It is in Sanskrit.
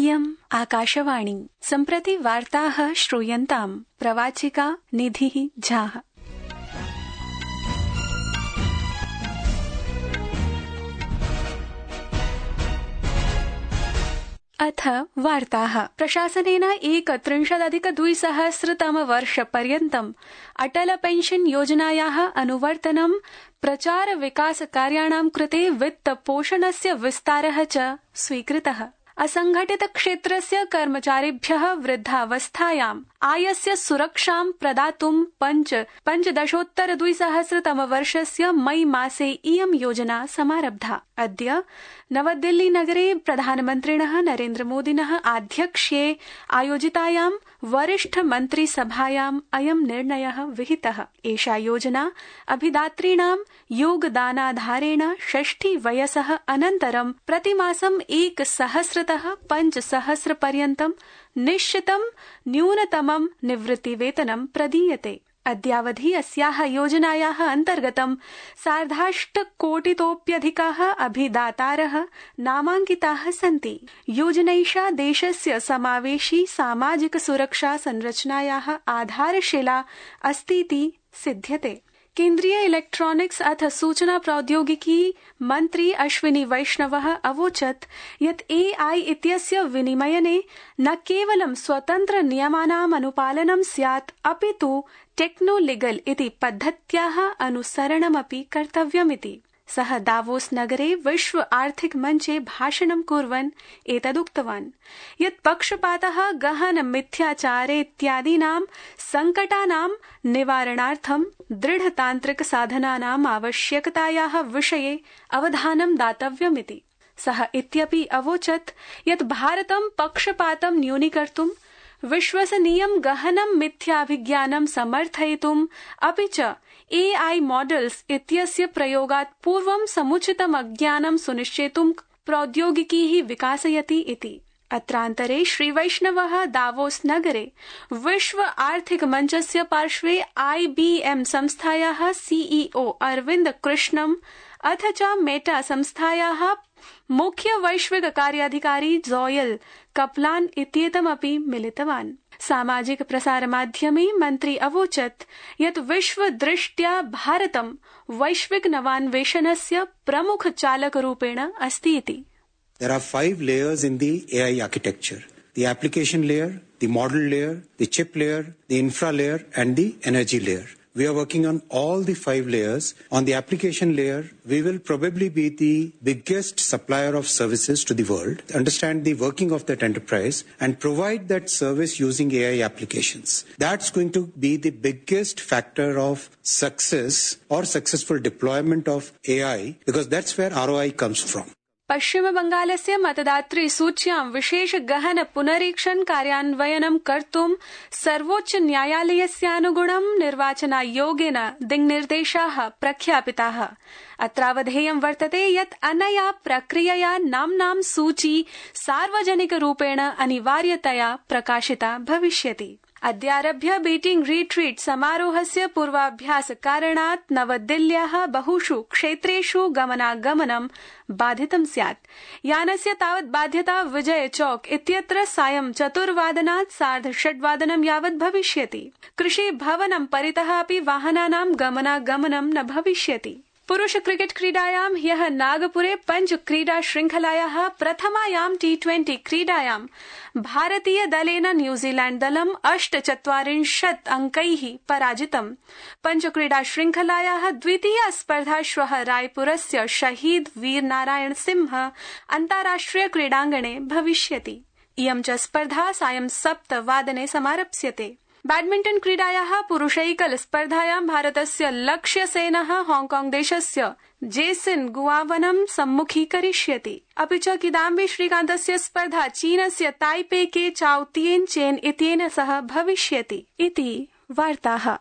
इयम् आकाशवाणी। सम्प्रति वार्ताः श्रूयन्ताम्। प्रवाचिका निधिः झा। अथ वार्ताः। प्रशासनेन 31,200 अटल पेंशन योजनायाः अनुवर्तनं प्रचार विकास कार्याणां कृते वित्त पोषणस्य विस्तारः च स्वीकृतः। असंघटित क्षेत्रस्य कर्मचारिभ्यः वृद्धावस्थायाम् आयस्य सुरक्षां प्रदातुं 15,200 मई मासे इयं योजना समारब्धा। अद्य नवदिल्ली नगरे प्रधानमन्त्रिणः नरेन्द्रमोदिनः आध्यक्ष्ये आयोजितायां वरिष्ठ मन्त्रिसभायाम् अयं निर्णयः विहितः। एषा योजना अभिदातॄणां योगदानाधारेण 60 वयसः अनन्तरं प्रतिमासं 1,000तः 5,000 पर्यन्तं निश्चितं न्यूनतमं निवृत्तिवेतनं प्रदीयते। अद्यावधि अस्याः योजनायाः अन्तर्गतं 8.5 कोटितोऽप्यधिकाः अभिदातारः नामाङ्किताः सन्ति। योजनैषा देशस्य समावेशी सामाजिक सुरक्षा संरचनायाः आधारशिला अस्तीति सिध्यते। केन्द्रीय इलेक्ट्रॉनिक्स अथ सूचना प्रौद्योगिकी मन्त्री अश्विनी वैष्णवः अवोचत् यत् AI इत्यस्य विनिमयने न केवलं स्वतन्त्र नियमानाम् अनुपालनं स्यात् अपितु टेक्नोलीगल इति पद्धत्याः अनुसरणमपि कर्तव्यमिति। सः दावोस नगरे विश्व आर्थिक मञ्चे भाषणं कुर्वन् एतदुक्तवान् यत् पक्षपातः गहन मिथ्याचारेत्यादीनां संकटानां निवारणार्थं दृढतान्त्रिक साधनानाम् आवश्यकतायाः विषये अवधानं दातव्यमिति। सः इत्यपि अवोचत् यत् भारतं पक्षपातं न्यूनीकर्तुं विश्वसनीयं गहनं मिथ्याभिज्ञानं समर्थयितुम् अपि च AI मॉडल्स इत्यस्य प्रयोगात् पूर्वं समुचितम् अज्ञानं सुनिश्चेतुं प्रौद्योगिकीः विकासयति इति। अत्रान्तरे श्रीवैष्णवः दावोस नगरे विश्व आर्थिक मञ्चस्य पार्श्वे IBM संस्थायाः CEO अरविन्द कृष्णम् अथ च मेटा संस्थायाः मुख्य वैश्विक कार्याधिकारी जोयल कपलान इत्येतमपि मिलितवान्। सामाजिक प्रसारमाध्यमे मन्त्री अवोचत् यत् विश्वदृष्ट्या भारतं वैश्विक नवान्वेषणस्य प्रमुख चालकरूपेण अस्ति इति। There are 5 layers in the AI architecture: the application layer, the model layer, the chip layer, the infra layer, and the energy layer. We are working on all the 5 layers. On the application layer, we will probably be the biggest supplier of services to the world, understand the working of that enterprise, and provide that service using AI applications. That's going to be the biggest factor of success or successful deployment of AI, because that's where ROI comes from. पश्चिम बंगालस्य मतदातृ सूच्यां विशेष गहन पुनरीक्षण कार्यान्वयनं कर्तुं सर्वोच्च न्यायालयस्यानुगुणं निर्वाचनायोगेन दिङ्निर्देशाः प्रख्यापिताः। अत्रावधेयं वर्तते यत् अनया प्रक्रियया नाम्नां सूची सार्वजनिकरूपेण अनिवार्यतया प्रकाशिता भविष्यति। अद्यारभ्य बीटिंग रिट्रीट समारोहस्य पूर्वाभ्यास कारणात् नवदिल्ल्याः बहुषु क्षेत्रेषु गमनागमनं बाधितं स्यात्। यानस्य तावत् बाध्यता विजय चौक इत्यत्र सायं 4 वादनात् 6:30 यावत् भविष्यति। कृषि भवनं परितः अपि वाहनानां गमनागमनं न भविष्यति। पुरुष क्रिकेट क्रीडायां ह्यः नागपुरे 5 क्रीडा श्रृंखलायाः प्रथमायां T20 क्रीडायां भारतीय दलेन न्यूजीलैण्ड दलं 48 अंकैः पराजितम्। 5 क्रीडा श्रृंखलायाः द्वितीया स्पर्धा श्वः रायपुरस्य शहीद वीर नारायण सिंह अन्ताराष्ट्रिय क्रीडाङ्गणे भविष्यति। इयं च स्पर्धा सायं 7 वादने समारप्स्यते। बैडमिंटन क्रीडायाः पुरुषैकल स्पर्धायां भारतस्य लक्ष्य सेनः हांगकांग देशस्य जेसिन गुआवनं सम्मुखीकरिष्यति। अपि च किदाम्बी श्रीकान्तस्य स्पर्धा चीनस्य ताइपे के चाओ तिएन चेन इत्येन सह भविष्यति इति वार्ताः।